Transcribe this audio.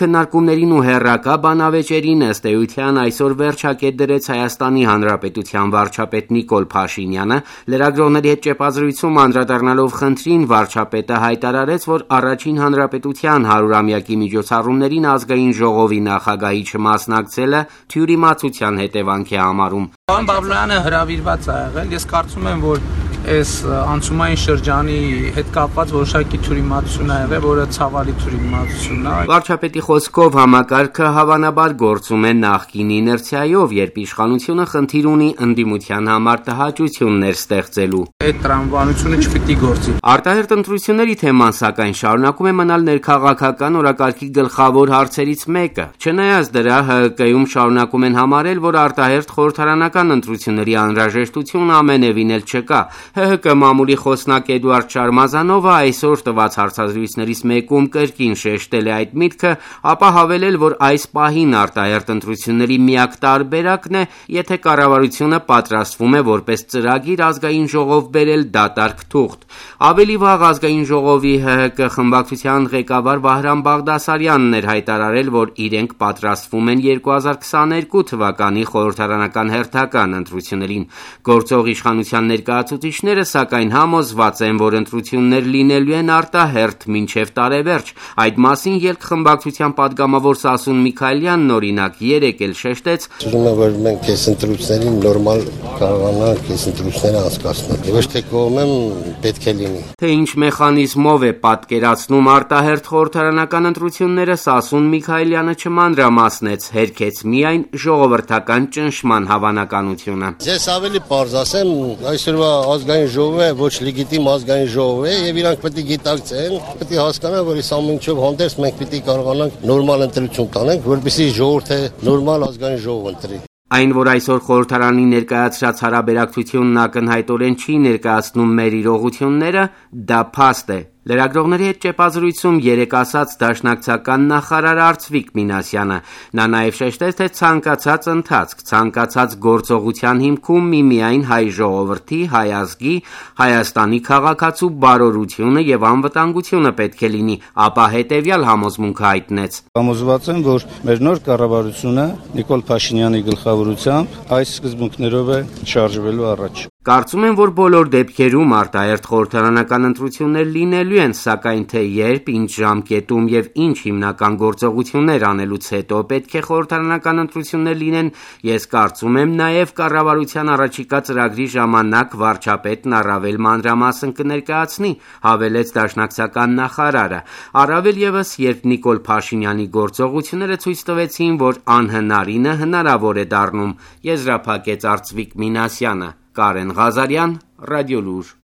քննարկումներին ու հեռակա բանավեճերին ըստ էության այսօր վերջակետ դրեց Հայաստանի Հանրապետության վարչապետ Նիկոլ Փաշինյանը, լրագրողների հետ ճեպազրույցում անդրադառնալով խնդրին վարչապետը հայտարարեց, որ Առաջին Հանրապետության 100-ամյակի միջոցառումներին Ազգային ժողովի նախագահի չմասնակցելը թյուրիմացության հետևանք է համարում։ Պարոն Բաբլոյանը հրավիրված է եղել, ես կարծում եմ, որ այս անցումային շրջանի հետ կապված որոշակի թյուրիմացություն է եղել, որը ցավալի թյուրիմացություն է։ Վարչապետի խոսքով համակարգը հավանաբար գործում է նախկին իներցիայով, երբ իշխանությունը խնդիր ունի ընդդիմության համար տհաճություններ ստեղծելու։ Այդ տրամաբանությունը չպիտի գործի։ Արտահերթ ընտրությունների թեման սակայն շարունակում է մնալ ներքաղաքական օրակարգի գլխավոր հարցերից մեկը։ Չնայած դրա, ՀՀԿ-ում շարունակում են համարել, որ արտահերթ խորհրդարանական ընտրությունների անհրաժեշտություն ամենևին էլ չկա։ ՀՀԿ մամուլի խոսնակ Էդուարդ Շարմազանովը այսօր տված հարցազրույցներից մեկում կրկին շեշտել է այդ միտքը, ապա հավելել, որ այս պահին արտահերթ ընտրությունների միակ տարբերակն է, եթե կառավարությունը պատրաստվում է որպես ծրագիր Ազգային ժողով բերել դատարկ թուղթ։ Ավելի վաղ Ազգային ժողովի ՀՀԿ խմբակցության ղեկավար Վահրամ Բաղդասարյանն էր հայտարարել, որ իրենք պատրաստվում են 2022 թվականի խորհրդարանական հերթական ընտրություններին։ Գործող իշխանության ներկայացուցիչները սակայն համոզված են, որ ընտրություններ լինելու են արտահերթ մինչև տարեվերջ։ Այդ մասին ելք խմբակցության падգամավոր Սասուն Միքայելյանն օրինակ երեկ էլ շեշտեց. «Ուզում եմ, որ մենք այս ընտրություններին նորմալ կարողանանք այս ընտրությունները անցկացնել։ Ոչ թե կողմեմ պետք է լինի»։ Թե ինչ մեխանիզմով է պատկերացնում արտահերթ խորհրդարանական ընտրությունները, Սասուն Միքայելյանը չմանրամասնեց, հերքեց միայն ժողովրդական ճնշման հավանականությունը։ Ես ավելի պարզ ասեմ, այսօրվա Ազգային ժողովը ոչ լեգիտիմ Ազգային ժողով է եւ իրանք պետք է գիտակցեն, պետք է հասկանան, որ այս ամենով հանդերձ մենք պետք է կարողանանք նորմալ ընտրություն տանենք, որպեսզի ժողովուրդը նորմալ Ազգային ժողով ընտրի։ Այն, որ այսօր խորհրդարանի ներկայացրած հարաբերակցությունն ակնհայտորեն չի ներկայացնում մեր իրողությունները, դա փաստ է։ Լրագրողների հետ ճեպազրույցում երեկ ասաց դաշնակցական նախարար Արծվիկ Մինասյանը։ Նա նաև շեշտեց, թե ցանկացած ընթացք, ցանկացած գործողության հիմքում միմիայն հայ ժողովրդի, հայ ազգի, Հայաստանի քաղաքացու բարօրությունը եւ անվտանգությունը պետք է լինի, ապա հետեւյալ համոզմունքը հայտնեց. Համոզված եմ, որ մեր նոր կառավարությունը Նիկոլ Փաշինյանի գլխավորությամբ այս սկզբունքներով է շարժվելու առաջ։ Կարծում եմ, որ բոլոր դեպքերում արտահերթ խորհրդարանական ընտրություններ լինելու են, սակայն թե երբ, ինչ ժամկետում եւ ինչ հիմնական գործողություններ անելուց հետո պետք է խորհրդարանական ընտրություններ լինեն, ես կարծում եմ նաեւ կառավարության առաջիկա ծրագրի ժամանակ վարչապետն առավել մանրամասն կներկայացնի, հավելեց դաշնակցական նախարարը։ Առավել եւս, երբ Նիկոլ Փաշինյանի գործողությունները ցույց տվեցին, որ անհնարինը հնարավոր է դառնում, եզրափակեց Արծվիկ Մինասյանը։ Կարեն Ղազարյան, Ռադիոլուր։